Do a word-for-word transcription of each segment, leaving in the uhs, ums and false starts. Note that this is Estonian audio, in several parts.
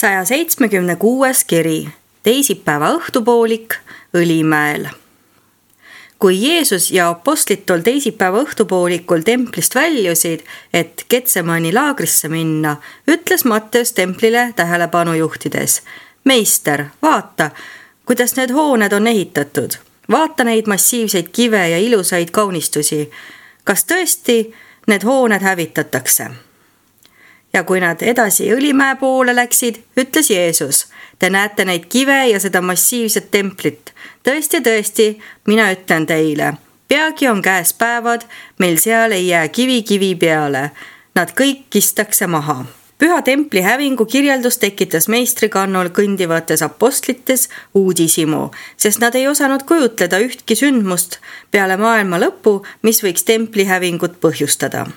saja seitsmekümne kuues kiri, teisipäeva õhtupoolik Õlimäel. Kui Jeesus ja apostlid tol teisipäeva õhtupoolikul templist väljusid, et Getsemani laagrisse minna, ütles Matteus templile tähelepanu juhtides: Meister, vaata, kuidas need hooned on ehitatud. Vaata neid massiivseid kive ja ilusaid kaunistusi. Kas tõesti need hooned hävitatakse? Ja kui nad edasi Õlimäe poole läksid, ütles Jeesus: Te näete neid kive ja seda massiivset templit. Tõesti, tõesti, mina ütlen teile, peagi on käes päevad, meil seal ei jää kivi kivi peale. Nad kõik kistakse maha. Püha templi hävingu kirjeldus tekitas meistrikannul kõndivates apostlites uudishimu, sest nad ei osanud kujutleda ühtki sündmust peale maailma lõpu, mis võiks templi hävingut põhjustada.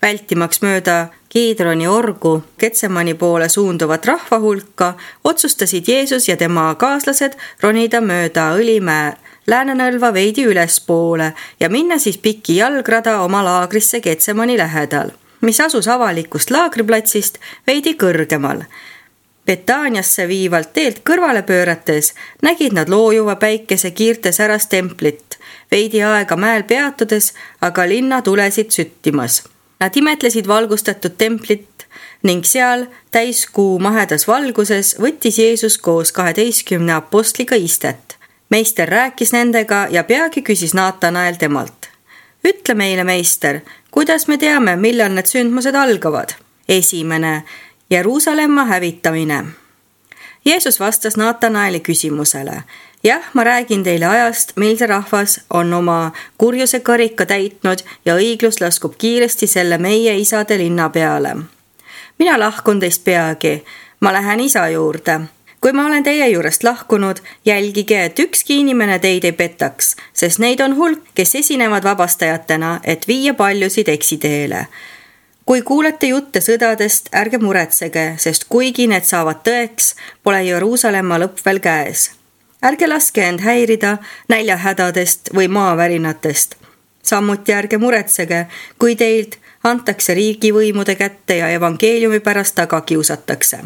Vältimaks mööda Kiidroni orgu Getsemani poole suunduvat rahva hulka, otsustasid Jeesus ja tema kaaslased ronida mööda Õlimäe Läänenõlva veidi ülespoole ja minna siis pikki jalgrada oma laagrisse Getsemani lähedal, mis asus avalikust laagriplatsist veidi kõrgemal. Betaaniasse viivalt teelt kõrvale pöörates nägid nad loojuva päikese kiirtes äras templit, veidi aega mäel peatudes, aga linna tulesid süttimas. Nad imetlesid valgustatud templit ning seal täiskuu mahedas valguses võttis Jeesus koos kaheteistkümne apostliga istet. Meister rääkis nendega ja peagi küsis Naatanael temalt: Ütle meile, meister, kuidas me teame, millal need sündmused algavad? Esimene, Jeruusalemma hävitamine. Jeesus vastas Naatanaeli küsimusele: Jah, ma räägin teile ajast, mil see rahvas on oma kurjuse karika täitnud ja õiglus laskub kiiresti selle meie isade linna peale. Mina lahkun teist peagi, ma lähen isa juurde. Kui ma olen teie juurest lahkunud, jälgige, et ükski inimene teid ei petaks, sest neid on hulk, kes esinevad vabastajatena, et viia paljusid eksiteele. Kui kuulete jutte sõdadest, ärge muretsege, sest kuigi need saavad tõeks, pole Jeruusalemma lõpp veel käes. Ärge laske end häirida näljahädadest või maavärinatest. Samuti ärge muretsege, kui teilt antakse riigivõimude kätte ja evangeeliumi pärast taga kiusatakse.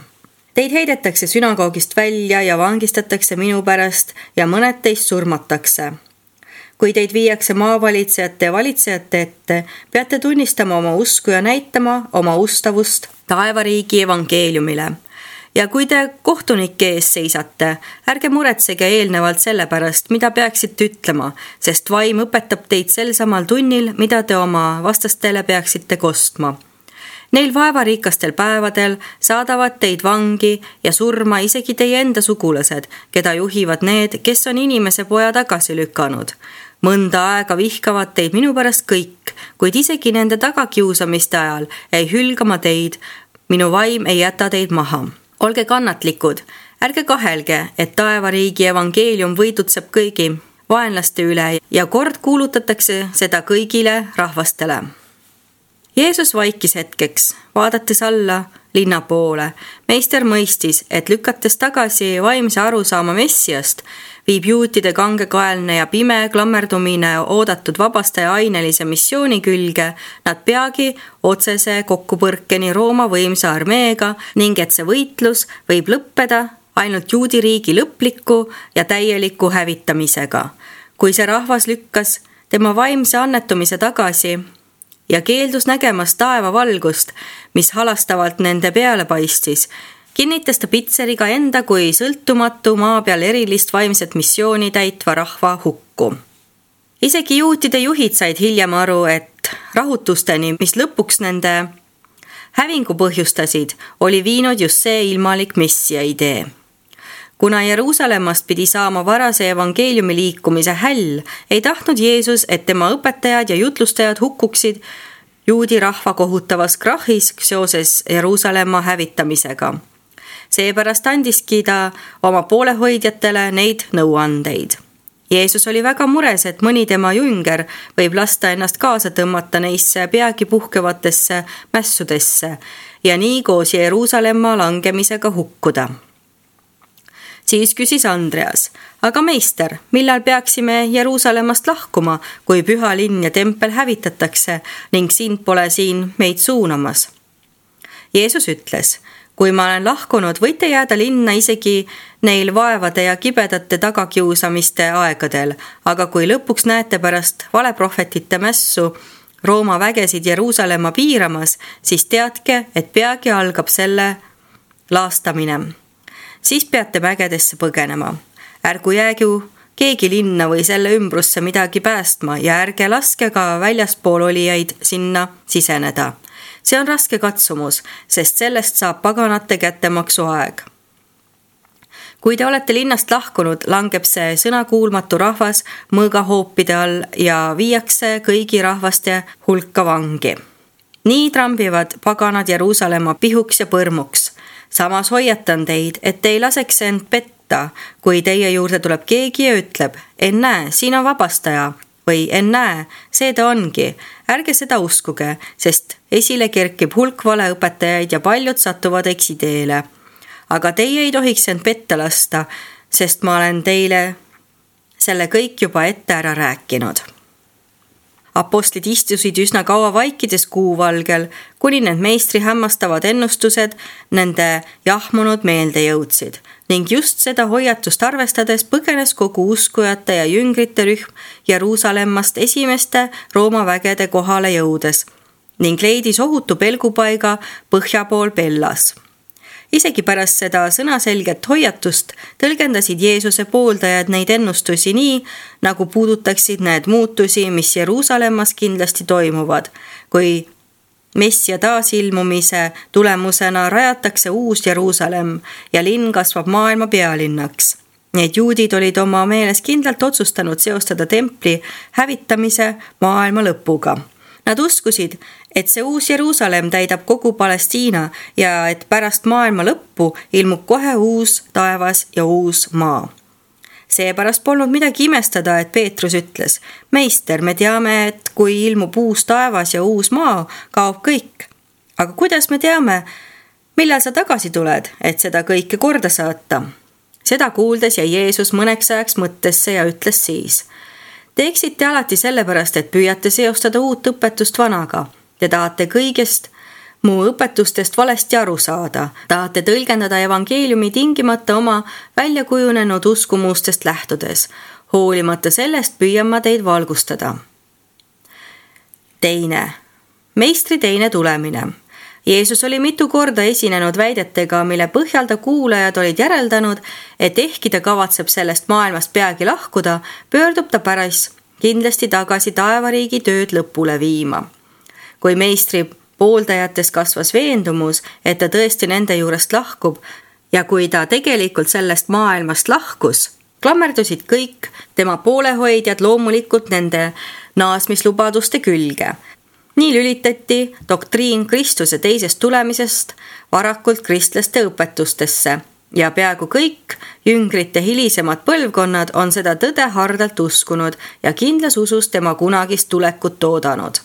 Teid heidetakse sünagoogist välja ja vangistatakse minu pärast ja mõned teist surmatakse. Kui teid viiakse maavalitsejate ja valitsejate ette, peate tunnistama oma usku ja näitama oma ustavust taevariigi evangeeliumile. Ja kui te kohtunike ees seisate, ärge muretsege eelnevalt selle pärast, mida peaksite ütlema, sest vaim õpetab teid sel samal tunnil, mida te oma vastastele peaksite kostma. Neil vaevariikastel päevadel saadavad teid vangi ja surma isegi teie enda sugulased, keda juhivad need, kes on inimese poja tagasi lükanud. Mõnda aega vihkavad teid minu pärast kõik, kuid isegi nende tagakiusamiste ajal ei hülgama teid, minu vaim ei jäta teid maha. Olge kannatlikud, ärge kahelge, et taevariigi evangeelium võidutseb kõigi vaenlaste üle ja kord kuulutatakse seda kõigile rahvastele. Jeesus vaikis hetkeks, vaadates alla linna poole. Meister mõistis, et lükates tagasi vaimse arusaama Messiast, viib juutide kangekaelne ja pime klammerdumine oodatud vabastaja ainelise missiooni külge, nad peagi otsese kokkupõrkeni Rooma võimsa armeega ning et see võitlus võib lõppeda ainult juudi riigi lõpliku ja täieliku hävitamisega. Kui see rahvas lükkas tema vaimse annetumise tagasi ja keeldus nägemas taeva valgust, mis halastavalt nende peale paistis, kinnitas ta Pitseriga enda kui sõltumatu maa peal erilist vaimset missiooni täitva rahva hukku. Isegi juutide juhid said hiljem aru, et rahutusteni, mis lõpuks nende hävingu põhjustasid, oli viinud just see ilmalik messia idee. Kuna Jeruusalemmast pidi saama varase evangeeliumi liikumise häll, ei tahtnud Jeesus, et tema õpetajad ja jutlustajad hukkuksid juudi rahva kohutavas krahhis seoses Jeruusalemma hävitamisega. Seepärast andiski ta oma poolehoidjatele neid nõuandeid. Jeesus oli väga mures, et mõni tema jünger võib lasta ennast kaasa tõmmata neisse peagi puhkevatesse mässudesse ja nii koos Jeruusalemma langemisega hukkuda. Siis küsis Andreas: aga meister, millal peaksime Jeruusalemmast lahkuma, kui püha linn ja tempel hävitatakse ning sind pole siin meid suunamas? Jeesus ütles: kui ma olen lahkunud, võite jääda linna isegi neil vaevade ja kibedate tagakiusamiste aegadel, aga kui lõpuks näete pärast valeprohvetite mässu Rooma vägesid Jeruusalemma piiramas, siis teadke, et peagi algab selle laastamine. Siis peate mägedesse põgenema. Ärgu jäägu keegi linna või selle ümbrusse midagi päästma ja ärge laske ka väljaspool olijaid sinna siseneda. See on raske katsumus, sest sellest saab paganate kättemaksu aeg. Kui te olete linnast lahkunud, langeb see sõnakuulmatu rahvas mõõgahoopide all ja viiakse kõigi rahvaste hulka vangi. Nii trambivad paganad Jeruusalemma pihuks ja põrmuks. Samas hoiatan teid, et te ei laseks end petta, kui teie juurde tuleb keegi ja ütleb, ennäe, siin on vabastaja, või ennäe, see ta ongi. Ärge seda uskuge, sest esile kerkib hulk valeõpetajaid ja paljud satuvad eksiteele. Aga teie ei tohiks end petta lasta, sest ma olen teile selle kõik juba ette ära rääkinud. Apostlid istusid üsna kaua vaikides kuuvalgel, kuni need meistri hämmastavad ennustused nende jahmunud meelde jõudsid. Ning just seda hoiatust arvestades põgenes kogu uskujate ja jüngrite rühm Jeruusalemmast esimeste Rooma vägede kohale jõudes ning leidis ohutu pelgupaiga põhja pool Pellas. Isegi pärast seda sõnaselget hoiatust tõlgendasid Jeesuse pooldajad neid ennustusi nii, nagu puudutaksid need muutusi, mis Jeruusalemmas kindlasti toimuvad, kui Messia taasilmumise tulemusena rajatakse uus Jeruusalemm ja linn kasvab maailma pealinnaks. Need juudid olid oma meeles kindlalt otsustanud seostada templi hävitamise maailma lõpuga. Nad uskusid, et see uus Jeruusalemm täidab kogu Palestiina ja et pärast maailma lõppu ilmub kohe uus taevas ja uus maa. Seepärast polnud midagi imestada, et Peetrus ütles, meister, me teame, et kui ilmub uus taevas ja uus maa, kaob kõik. Aga kuidas me teame, millal sa tagasi tuled, et seda kõike korda saata? Seda kuuldes jäi Jeesus mõneks ajaks mõttesse ja ütles siis, te eksite alati sellepärast, et püüate seostada uut õpetust vanaga. Te tahate kõigest mu õpetustest valesti aru saada. Tahate tõlgendada evangeeliumi tingimata oma väljakujunenud uskumustest lähtudes. Hoolimata sellest püüan ma teid valgustada. Teine. Meistri teine tulemine. Jeesus oli mitu korda esinenud väidetega, mille põhjal ta kuulajad olid järeldanud, et ehkki ta kavatseb sellest maailmast peagi lahkuda, pöördub ta päris kindlasti tagasi taevariigi tööd lõpule viima. Kui meistri pooldajates kasvas veendumus, et ta tõesti nende juurest lahkub ja kui ta tegelikult sellest maailmast lahkus, klammerdusid kõik tema poolehoidjad loomulikult nende naasmislubaduste külge. Nii lülitati doktriin Kristuse teisest tulemisest varakult kristlaste õpetustesse ja peaaegu kõik jüngrite hilisemad põlvkonnad on seda tõde hardalt uskunud ja kindlas usus tema kunagist tulekut oodanud.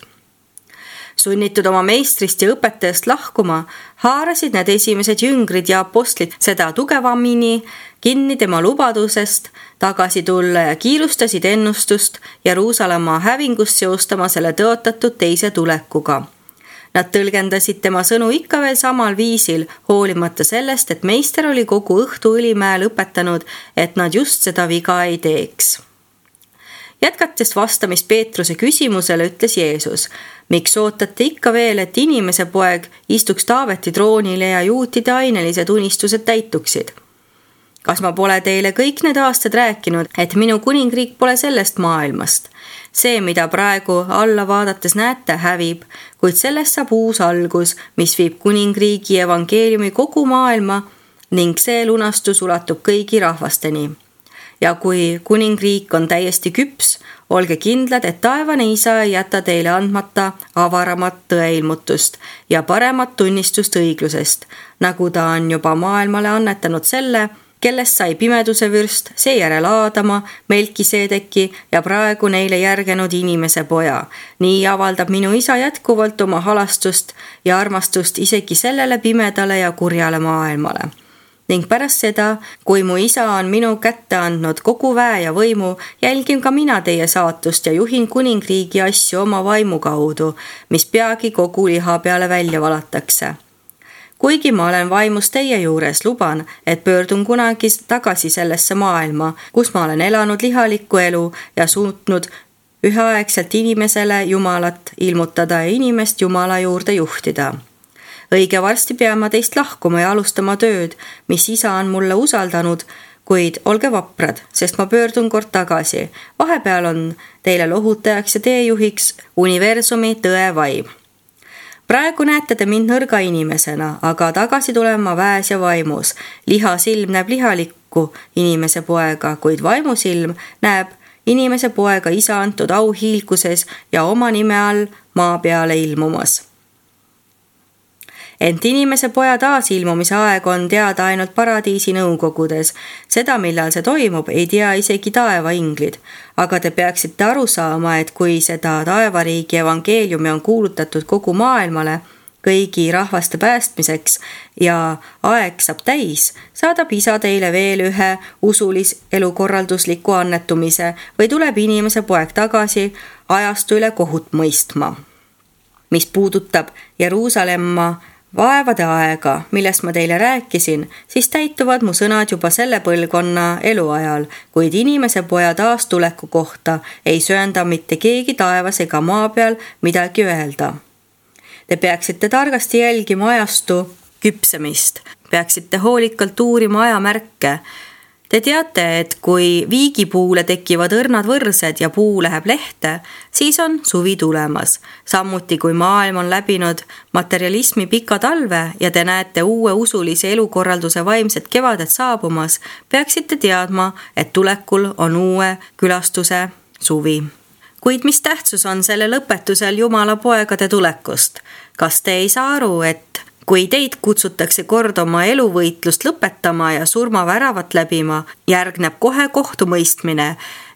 Sunnitud oma meistrist ja õpetajast lahkuma, haarasid need esimesed jüngrid ja apostlid seda tugevamini kinni tema lubadusest tagasi tulla ja kiirustasid ennustust Jeruusalemma hävingust seostama selle tõotatud teise tulekuga. Nad tõlgendasid tema sõnu ikka veel samal viisil, hoolimata sellest, et meister oli kogu õhtu Õlimäel õpetanud, et nad just seda viga ei teeks. Jätkates vastamist Peetruse küsimusele ütles Jeesus, miks ootate ikka veel, et inimese poeg istuks Taaveti troonile ja juutide ainelised unistused täituksid? Kas ma pole teile kõik need aastad rääkinud, et minu kuningriik pole sellest maailmast? See, mida praegu alla vaadates näete, hävib, kuid sellest saab uus algus, mis viib kuningriigi evangeeliumi kogu maailma ning see lunastus ulatub kõigi rahvasteni. Ja kui kuningriik on täiesti küps, olge kindlad, et taevane isa ei jäta teile andmata avaramat tõeilmutust ja paremat tunnistust õiglusest, nagu ta on juba maailmale annetanud selle, kellest sai pimeduse vürst, seejärel Aadama, Melkiseedeki ja praegu neile järgenud inimese poja. Nii avaldab minu isa jätkuvalt oma halastust ja armastust isegi sellele pimedale ja kurjale maailmale. Ning pärast seda, kui mu isa on minu kätte andnud kogu väe ja võimu, jälgin ka mina teie saatust ja juhin kuningriigi asju oma vaimu kaudu, mis peagi kogu liha peale välja valatakse. kuigi ma olen vaimus teie juures, luban, et pöördun kunagi tagasi sellesse maailma, kus ma olen elanud lihalikku elu ja suutnud üheaegselt inimesele Jumalat ilmutada ja inimest Jumala juurde juhtida. Õige varsti pean ma teist lahkuma ja alustama tööd, mis isa on mulle usaldanud, kuid olge vaprad, sest ma pöördun kord tagasi. Vahepeal on teile lohutajaks ja teejuhiks universumi tõe vaim. Praegu näete te mind nõrga inimesena, aga tagasi tulen ma väes ja vaimus. Lihasilm näeb lihalikku inimese poega, kuid vaimusilm näeb inimese poega isa antud auhiilguses ja oma nime all maa peale ilmumas. Ent inimese poja taasilmumise aeg on teada ainult paradiisi nõukogudes. Seda, millal see toimub, ei tea isegi taevainglid. Aga te peaksite aru saama, et kui seda taevariigi evangeeliumi on kuulutatud kogu maailmale kõigi rahvaste päästmiseks ja aeg saab täis, saadab isa teile veel ühe usulis elukorraldusliku annetumise või tuleb inimese poeg tagasi ajastu üle kohut mõistma. Mis puudutab Jeruusalemma vaevade aega, millest ma teile rääkisin, siis täituvad mu sõnad juba selle põlvkonna eluajal, kuid inimese poja taastuleku kohta ei söanda mitte keegi taevas ega maa peal midagi öelda. Te peaksite targasti jälgima ajastu küpsemist, peaksite hoolikalt uurima ajamärke. Te teate, et kui viigipuule tekivad õrnad võrsed ja puu läheb lehte, siis on suvi tulemas. Samuti kui maailm on läbinud materialismi pika talve ja te näete uue usulise elukorralduse vaimset kevadet saabumas, peaksite teadma, et tulekul on uue külastuse suvi. Kuid mis tähtsus on selle lõpetusel Jumala poegade tulekust? Kas te ei saa aru, et kui teid kutsutakse kord oma eluvõitlust lõpetama ja surmaväravat läbima, järgneb kohe kohtumõistmine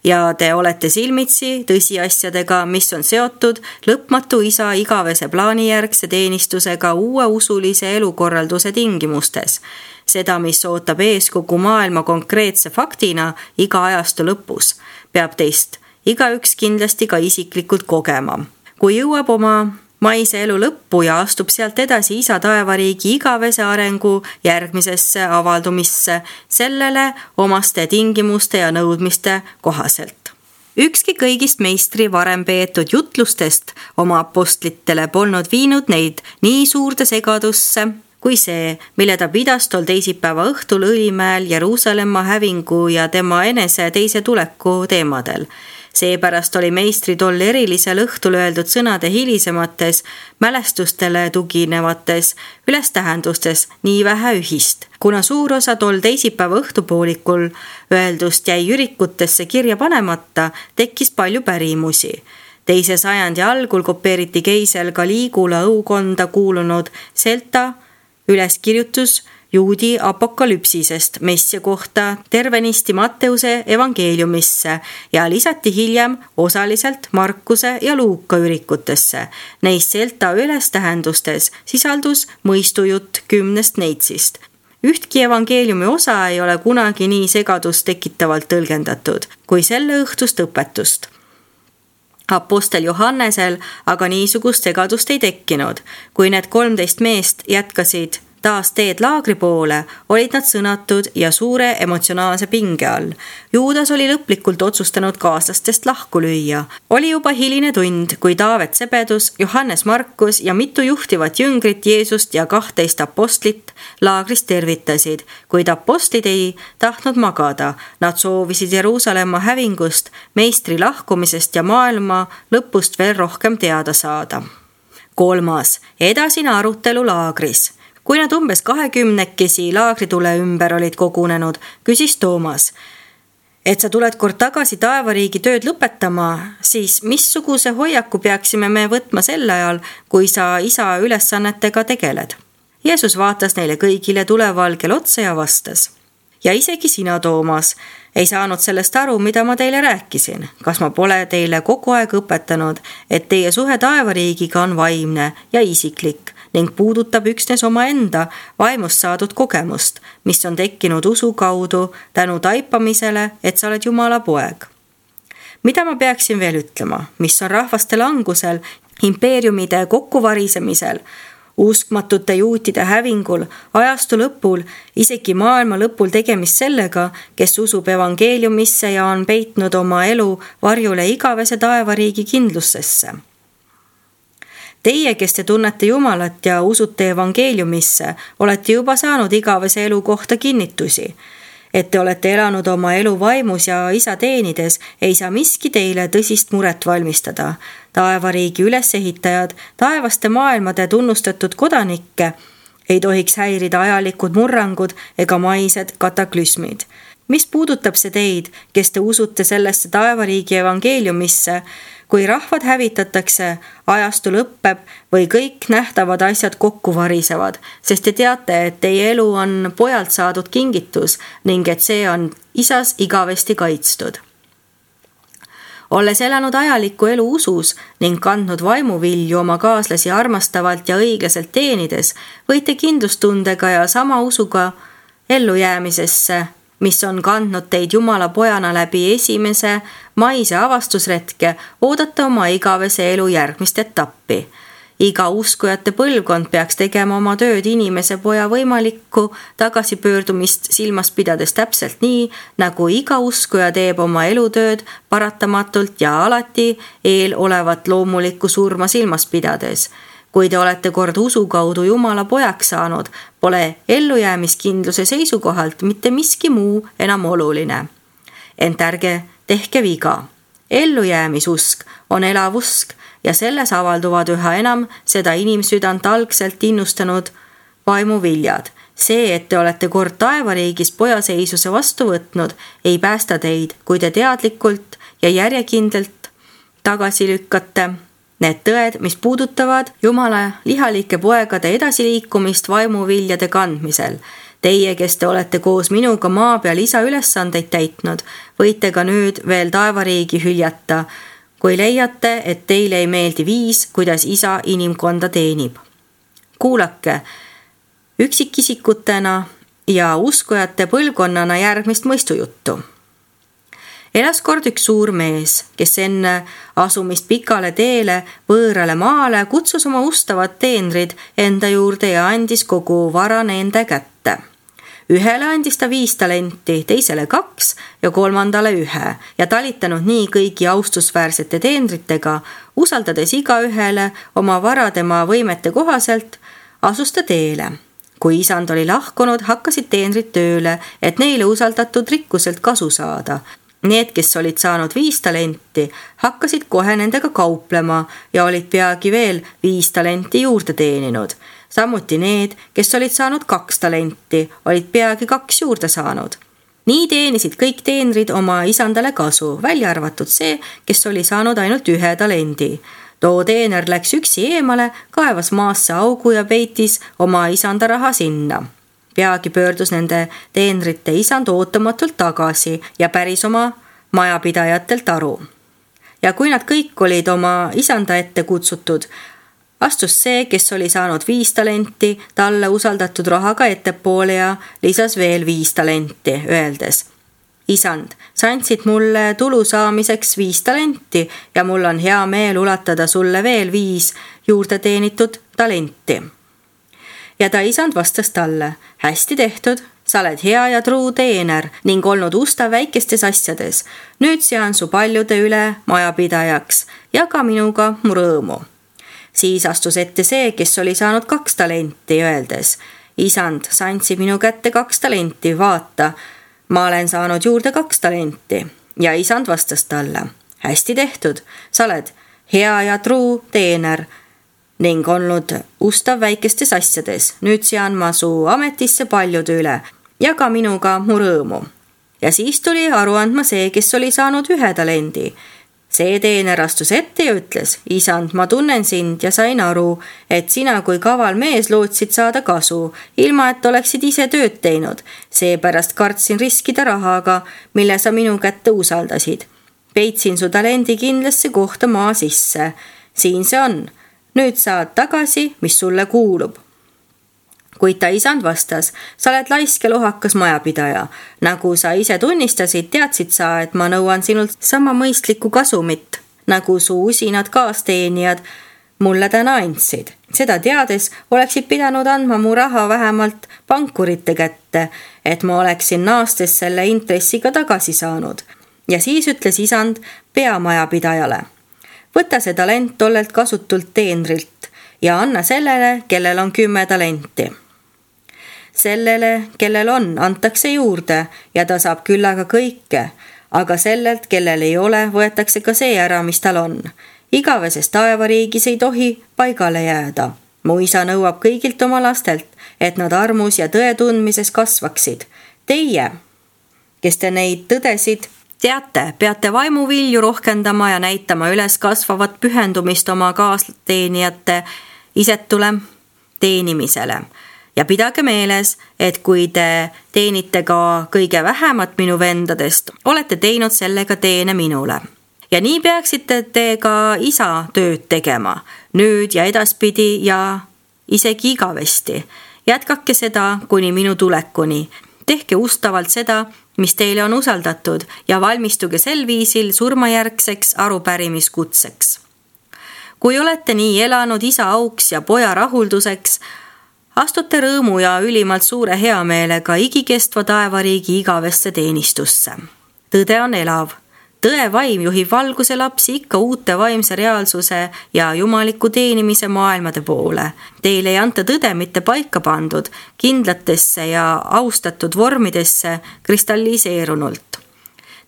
ja te olete silmitsi tõsiasjadega, mis on seotud lõpmatu isa igavese plaanijärgse teenistusega uue usulise elukorralduse tingimustes. Seda, mis ootab ees kogu maailma konkreetse faktina iga ajastu lõpus, peab teist igaüks kindlasti ka isiklikult kogema. Kui jõuab oma maise elu lõppu ja astub sealt edasi isa taevariigi igavese arengu järgmisesse avaldumisse sellele omaste tingimuste ja nõudmiste kohaselt. Ükski kõigist meistri varem peetud jutlustest oma apostlitele polnud viinud neid nii suurde segadusse kui see, mille ta pidas tol teisipäeva õhtul Õlimäel Jeruusalemma hävingu ja tema enese teise tuleku teemadel. Seepärast oli meistri tol erilisel õhtul öeldud sõnade hilisemates mälestustele tuginevates ülestähendustes nii vähe ühist. Kuna suur osa tol teisipäeva õhtupoolikul öeldust jäi ürikutesse kirja panemata, tekkis palju pärimusi. Teise sajandi algul kopeeriti keisel Caligula õukonda kuulunud Celta üleskirjutus juudi apokalüpsisest messia kohta tervenisti Matteuse evangeeliumisse ja lisati hiljem osaliselt Markuse ja Luuka ürikutesse. Neis Celta ülestähendustes sisaldus mõistujutt kümnest neitsist. Ühtki evangeeliumi osa ei ole kunagi nii segadust tekitavalt tõlgendatud kui selle õhtust õpetust. Apostel Johannesel aga niisugust segadust ei tekkinud. Kui need kolmteist meest jätkasid taas teed laagri poole, olid nad sõnatud ja suure emotsionaalse pinge all. Juudas oli lõplikult otsustanud kaaslastest lahku lüüa. Oli juba hiline tund, kui Taavet Sebedus, Johannes Markus ja mitu juhtivat jüngrit Jeesust ja kahteist apostlit laagrist tervitasid, kuid apostlid ei tahtnud magada. Nad soovisid Jeruusalemma hävingust, meistri lahkumisest ja maailma lõpust veel rohkem teada saada. Kolmas, edasine arutelu laagris. Kui nad umbes kahekümnekesi laagritule ümber olid kogunenud, küsis Toomas, et sa tuled kord tagasi taevariigi tööd lõpetama, siis missuguse hoiaku peaksime me võtma sel ajal, kui sa isa ülesannetega tegeled? Jeesus vaatas neile kõigile tulevalgel otsa ja vastas. Ja isegi sina, Toomas, ei saanud sellest aru, mida ma teile rääkisin. Kas ma pole teile kogu aeg õpetanud, et teie suhe taevariigiga on vaimne ja isiklik ning puudutab üksnes omaenda vaimust saadud kogemust, mis on tekkinud usu kaudu tänu taipamisele, et sa oled Jumala poeg. Mida ma peaksin veel ütlema, mis on rahvaste langusel, impeeriumide kokkuvarisemisel, uskmatute juutide hävingul, ajastu lõpul, isegi maailma lõpul tegemist sellega, kes usub evangeeliumisse ja on peitnud oma elu varjule igavese taevariigi kindlusesse. Teie, kes te tunnete Jumalat ja usute evangeeliumisse, olete juba saanud igavese elu kohta kinnitusi. Et te olete elanud oma elu vaimus ja isa teenides, ei saa miski teile tõsist muret valmistada. Taevariigi ülesehitajad, taevaste maailmade tunnustatud kodanikke ei tohiks häirida ajalikud murrangud ega maised kataklüsmid. Mis puudutab see teid, kes te usute sellesse taevariigi evangeeliumisse, kui rahvad hävitatakse, ajastu lõppeb või kõik nähtavad asjad kokku varisevad, sest te teate, et teie elu on pojalt saadud kingitus ning et see on isas igavesti kaitstud. Olles elanud ajalikku elu usus ning kandnud vaimuvilju oma kaaslasi armastavalt ja õiglaselt teenides, võite kindlustundega ja sama usuga ellujäämisesse, mis on kandnud teid Jumala pojana läbi esimese maise avastusretke, oodata oma igavese elu järgmist etappi. Iga uskujate põlvkond peaks tegema oma tööd inimese poja võimalikku tagasipöördumist silmas pidades täpselt nii, nagu iga uskuja teeb oma elutööd paratamatult ja alati eel olevat loomulikku surma silmas pidades. Kui te olete kord usu kaudu Jumala pojaks saanud, pole ellujäämiskindluse seisukohalt mitte miski muu enam oluline. Ent ärge tehke viga. Ellujäämisusk on elav usk ja selles avalduvad üha enam seda inimsüdant algselt innustanud vaimuviljad. See, et te olete kord taevariigis pojaseisuse vastu võtnud, ei päästa teid, kui te teadlikult ja järjekindlalt tagasi lükkate need tõed, mis puudutavad Jumala lihalike poegade edasiliikumist vaimuviljade kandmisel. Teie, kes te olete koos minuga maa peal isa ülesandeid täitnud, võite ka nüüd veel taevariigi hüljata, kui leiate, et teile ei meeldi viis, kuidas isa inimkonda teenib. Kuulake üksikisikutena ja uskujate põlvkonnana järgmist mõistujuttu. Elas kord üks suur mees, kes enne asumist pikale teele võõrale maale kutsus oma ustavad teenrid enda juurde ja andis kogu vara nende kätte. Ühele andis ta viis talenti, teisele kaks ja kolmandale ühe ja talitanud nii kõigi austusväärsete teenritega, usaldades iga ühele oma vara tema võimete kohaselt, asus ta teele. Kui isand oli lahkunud, hakkasid teenrid tööle, et neile usaldatud rikkuselt kasu saada. Need, kes olid saanud viis talenti, hakkasid kohe nendega kauplema ja olid peagi veel viis talenti juurde teeninud. Samuti need, kes olid saanud kaks talenti, olid peagi kaks juurde saanud. Nii teenisid kõik teenrid oma isandale kasu, välja arvatud see, kes oli saanud ainult ühe talendi. Too teener läks üksi eemale, kaevas maasse augu ja peitis oma isanda raha sinna. Peagi pöördus nende teenrite isand ootamatult tagasi ja päris oma majapidajatelt aru. Ja kui nad kõik olid oma isanda ette kutsutud, astus see, kes oli saanud viis talenti, talle usaldatud rahaga ettepoole ja lisas veel viis talenti, öeldes: Isand, sa andsid mulle tulu saamiseks viis talenti ja mul on hea meel ulatada sulle veel viis juurde teenitud talenti. Ja ta isand vastas talle: hästi tehtud, sa oled hea ja truu teener ning olnud ustav väikestes asjades. Nüüd sean su paljude üle majapidajaks, jaga minuga mu rõõmu. Siis astus ette see, kes oli saanud kaks talenti, öeldes: Isand, sa andsid minu kätte kaks talenti, vaata, ma olen saanud juurde kaks talenti. Ja isand vastas talle: hästi tehtud, sa oled hea ja truu teener ning olnud ustav väikestes asjades. Nüüd sean ma su ametisse paljude üle, jaga minuga mu rõõmu. Ja siis tuli aru andma see, kes oli saanud ühe talendi. See teener astus ette ja ütles: Isand, ma tunnen sind ja sain aru, et sina kui kaval mees lootsid saada kasu, ilma et oleksid ise tööd teinud. Seepärast kartsin riskida rahaga, mille sa minu kätte usaldasid. Peitsin su talendi kindlasse kohta maa sisse. Siin see on. Nüüd saad tagasi, mis sulle kuulub. Kuid ta isand vastas: sa oled laisk ja lohakas majapidaja. Nagu sa ise tunnistasid, teadsid sa, et ma nõuan sinult sama mõistlikku kasumit, nagu su usinad kaasteenijad mulle täna andsid. Seda teades oleksid pidanud andma mu raha vähemalt pankurite kätte, et ma oleksin naastes selle intressiga tagasi saanud. Ja siis ütles isand peamajapidajale: võta see talent tollelt kasutult teenrilt ja anna sellele, kellel on kümme talenti. Sellele, kellel on, antakse juurde ja ta saab küllaga kõike, aga sellelt, kellel ei ole, võetakse ka see ära, mis tal on. Igaveses taevariigis ei tohi paigale jääda. Mu isa nõuab kõigilt oma lastelt, et nad armus ja tõe tundmises kasvaksid. Teie, kes te neid tõdesid, teate, peate vaimuvilju rohkendama ja näitama üles kasvavat pühendumist oma kaasteenijate isetule teenimisele. Ja pidage meeles, et kui te teenite ka kõige vähemat minu vendadest, olete teinud sellega teene minule. Ja nii peaksite te ka isa tööd tegema, nüüd ja edaspidi ja isegi igavesti. Jätkake seda kuni minu tulekuni. Tehke ustavalt seda, mis teile on usaldatud ja valmistuge sel viisil surmajärgseks arupärimiskutseks. Kui olete nii elanud isa auks ja poja rahulduseks, astute rõõmu ja ülimalt suure heameelega igikestva taevariigi igavesse teenistusse. Tõde on elav. Tõe vaim juhib valguse lapsi ikka uute vaimse reaalsuse ja jumaliku teenimise maailmade poole. Teile ei anta tõde mitte paika pandud, kindlatesse ja austatud vormidesse kristalliseerunult.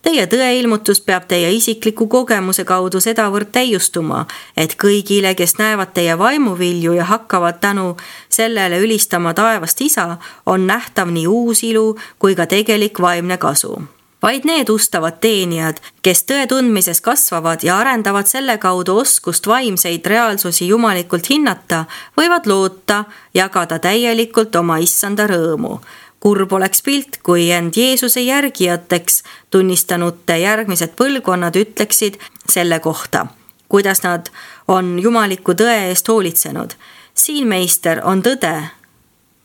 Teie tõeilmutus peab teie isikliku kogemuse kaudu sedavõrd täiustuma, et kõigile, kes näevad teie vaimuvilju ja hakkavad tänu sellele ülistama taevast isa, on nähtav nii uus ilu kui ka tegelik vaimne kasu. Vaid need ustavad teenijad, kes tõe tundmises kasvavad ja arendavad selle kaudu oskust vaimseid reaalsusi jumalikult hinnata, võivad loota jagada täielikult oma issanda rõõmu. Kurb oleks pilt, kui end Jeesuse järgijateks tunnistanute järgmised põlvkonnad ütleksid selle kohta, kuidas nad on jumaliku tõe eest hoolitsenud. Siin, meister, on tõde,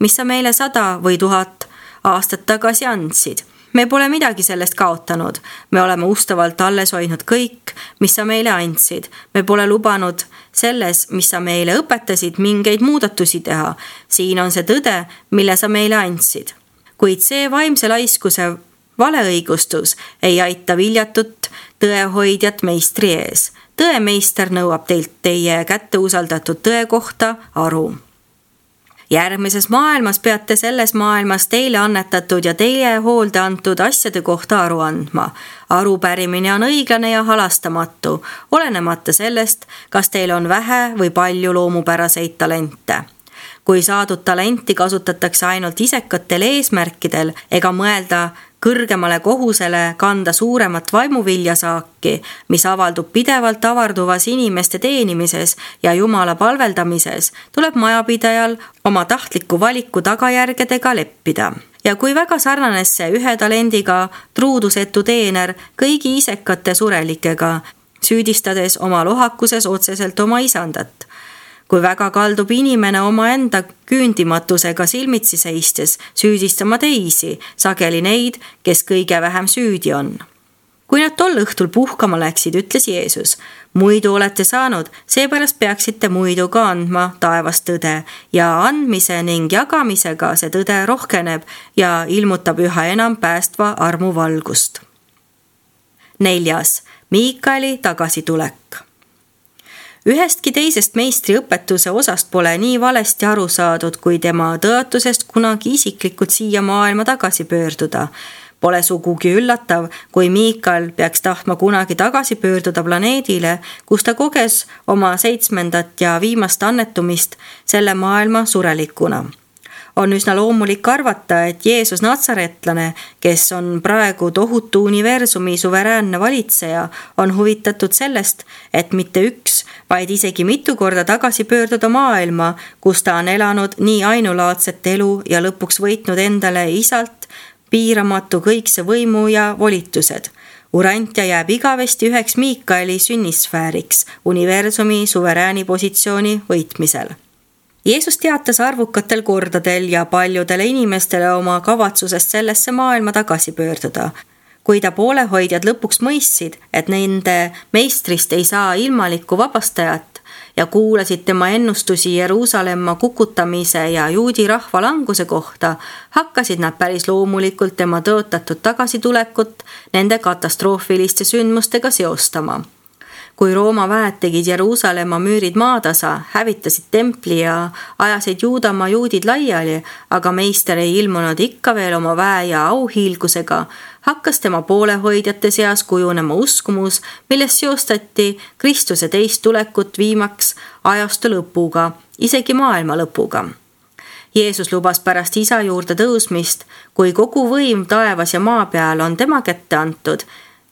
mis sa meile sada või tuhat aastat tagasi andsid. Me pole midagi sellest kaotanud. Me oleme ustavalt alles hoidnud kõik, mis sa meile andsid. Me pole lubanud selles, mis sa meile õpetasid, mingeid muudatusi teha. Siin on see tõde, mille sa meile andsid. Kuid see vaimse laiskuse valeõigustus ei aita viljatut tõehoidjat meistri ees. Tõemeister nõuab teilt teie kätte usaldatud tõe kohta aru. Järgmises maailmas peate selles maailmas teile annetatud ja teie hoolde antud asjade kohta aru andma. Arupärimine on õiglane ja halastamatu, olenemata sellest, kas teil on vähe või palju loomupäraseid talente. Kui saadud talenti kasutatakse ainult isekatel eesmärkidel ega mõelda kõrgemale kohusele kanda suuremat vaimuviljasaaki, mis avaldub pidevalt avarduvas inimeste teenimises ja Jumala palveldamises, tuleb majapidajal oma tahtliku valiku tagajärgedega leppida. Ja kui väga sarnanes see ühe talendiga truudusetu teener kõigi isekate surelikega, süüdistades oma lohakuses otseselt oma isandat. Kui väga kaldub inimene omaenda küündimatusega silmitsi seistes süüdistama teisi, sageli neid, kes kõige vähem süüdi on. Kui nad tol õhtul puhkama läksid, ütles Jeesus: muidu olete saanud, seepärast peaksite muidu ka andma taevast tõde ja andmise ning jagamisega see tõde rohkeneb ja ilmutab üha enam päästva armu valgust. Neljas. Miikaeli tagasitulek. Ühestki teisest meistri õpetuse osast pole nii valesti aru saadud, kui tema tõotusest kunagi isiklikult siia maailma tagasi pöörduda. Pole sugugi üllatav, kui Miikael peaks tahtma kunagi tagasi pöörduda planeedile, kus ta koges oma seitsmendat ja viimast annetumist selle maailma surelikuna. On üsna loomulik arvata, et Jeesus natsaretlane, kes on praegu tohutu universumi suveräänne valitseja, on huvitatud sellest, et mitte üks, vaid isegi mitu korda tagasi pöörduda maailma, kus ta on elanud nii ainulaadset elu ja lõpuks võitnud endale isalt piiramatu kõikse võimu ja volitused. Urantja jääb igavesti üheks Miikaeli sünnisfääriks universumi suverääni positsiooni võitmisel. Jeesus teatas arvukatel kordadel ja paljudele inimestele oma kavatsusest sellesse maailma tagasi pöörduda. Kui ta poolehoidjad lõpuks mõistsid, et nende meistrist ei saa ilmalikku vabastajat ja kuulasid tema ennustusi Jeruusalemma kukutamise ja juudi rahva languse kohta, hakkasid nad päris loomulikult tema tõotatud tagasitulekut nende katastroofiliste sündmustega seostama. Kui Rooma väed tegid Jeruusalemma müürid maatasa, hävitasid templi ja ajasid Juudamaa juudid laiali, aga meister ei ilmunud ikka veel oma väe ja auhiilgusega, hakkas tema poolehoidjate seas kujunema uskumus, milles seostati Kristuse teist tulekut viimaks ajastu lõpuga, isegi maailma lõpuga. Jeesus lubas pärast isa juurde tõusmist, kui kogu võim taevas ja maa peal on tema kätte antud,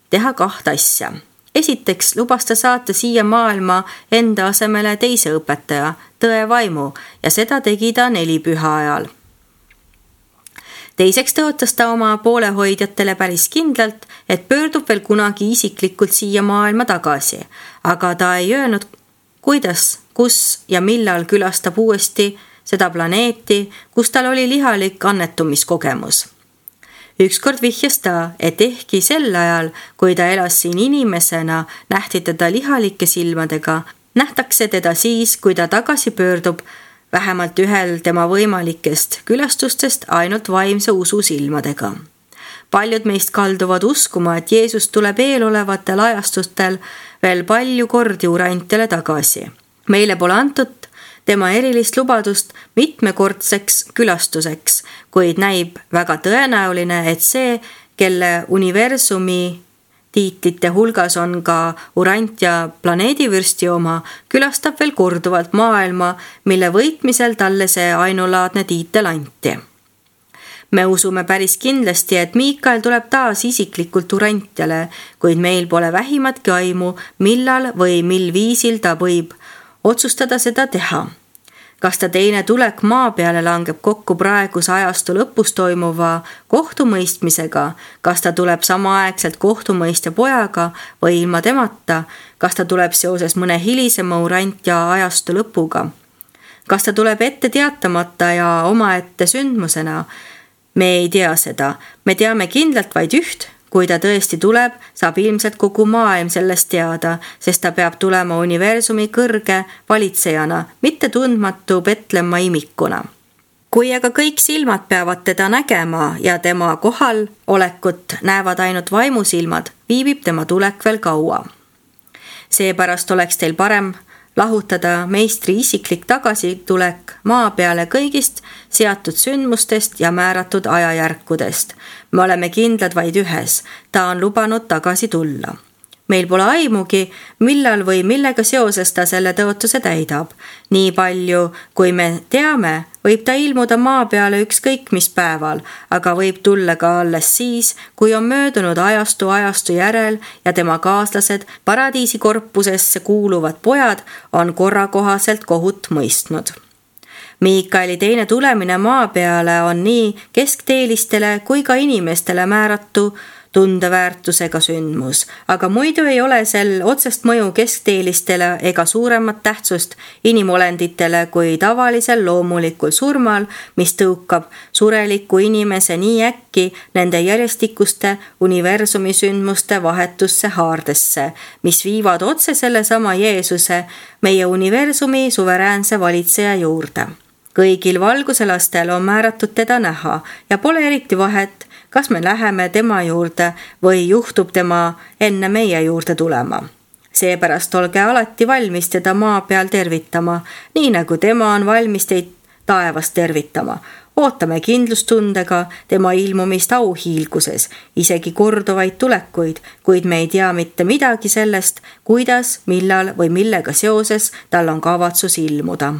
teha kaht asja. Esiteks lubas ta saata siia maailma enda asemele teise õpetaja, tõe vaimu, ja seda tegi ta nelipüha ajal. Teiseks tõotas ta oma poolehoidjatele päris kindlalt, et pöördub veel kunagi isiklikult siia maailma tagasi, aga ta ei öelnud, kuidas, kus ja millal külastab uuesti seda planeeti, kus tal oli lihalik annetumiskogemus. Ükskord vihjas ta, et ehkki sel ajal, kui ta elas siin inimesena, nähti teda lihalike silmadega, nähtakse teda siis, kui ta tagasi pöördub, vähemalt ühel tema võimalikest külastustest ainult vaimse usu silmadega. Paljud meist kalduvad uskuma, et Jeesus tuleb eelolevatel ajastustel veel palju kordi urantjale tagasi. Meile pole antud tema erilist lubadust mitmekordseks külastuseks, kuid näib väga tõenäoline, et see, kelle universumi tiitlite hulgas on ka urant ja planeedivürsti oma, külastab veel korduvalt maailma, mille võitmisel talle see ainulaadne tiitel anti. Me usume päris kindlasti, et Miikael tuleb taas isiklikult urantjale, kuid meil pole vähimatki aimu, millal või mil viisil ta võib otsustada seda teha. Kas ta teine tulek maa peale langeb kokku praeguse ajastu lõpus toimuva kohtumõistmisega, kas ta tuleb samaaegselt kohtumõistja pojaga või ilma temata, kas ta tuleb seoses mõne hilisema urant ja ajastu lõpuga. Kas ta tuleb ette teatamata ja omaette sündmusena? Me ei tea seda, me teame kindlalt vaid üht. Kui ta tõesti tuleb, saab ilmselt kogu maailm sellest teada, sest ta peab tulema universumi kõrge valitsejana, mitte tundmatu Betlemma imikuna. Kui aga kõik silmad peavad teda nägema ja tema kohal olekut näevad ainult vaimusilmad, viibib tema tulek veel kaua. Seepärast oleks teil parem lahutada meistri isiklik tagasitulek maa peale kõigist seatud sündmustest ja määratud ajajärkudest. Me oleme kindlad vaid ühes, ta on lubanud tagasi tulla. Meil pole aimugi, millal või millega seoses ta selle tõotuse täidab. Nii palju, kui me teame, võib ta ilmuda maa peale ükskõik mis päeval, aga võib tulla ka alles siis, kui on möödunud ajastu ajastu järel ja tema kaaslased, paradiisi korpusesse kuuluvad pojad, on korrakohaselt kohut mõistnud. Miikaeli teine tulemine maa peale on nii keskteelistele kui ka inimestele määratu tundeväärtusega sündmus, aga muidu ei ole sel otsest mõju keskteelistele ega suuremat tähtsust inimolenditele kui tavalisel loomulikul surmal, mis tõukab sureliku inimese nii äkki nende järjestikuste universumi sündmuste vahetusse haardesse, mis viivad otse sellesama Jeesuse, meie universumi suveräänse valitseja juurde. Kõigil valguselastel on määratud teda näha ja pole eriti vahet, kas me läheme tema juurde või juhtub tema enne meie juurde tulema. Seepärast olge alati valmis teda maa peal tervitama, nii nagu tema on valmis teid taevas tervitama. Ootame kindlustundega tema ilmumist auhiilguses, isegi korduvaid tulekuid, kuid me ei tea mitte midagi sellest, kuidas, millal või millega seoses tal on kavatsus ilmuda.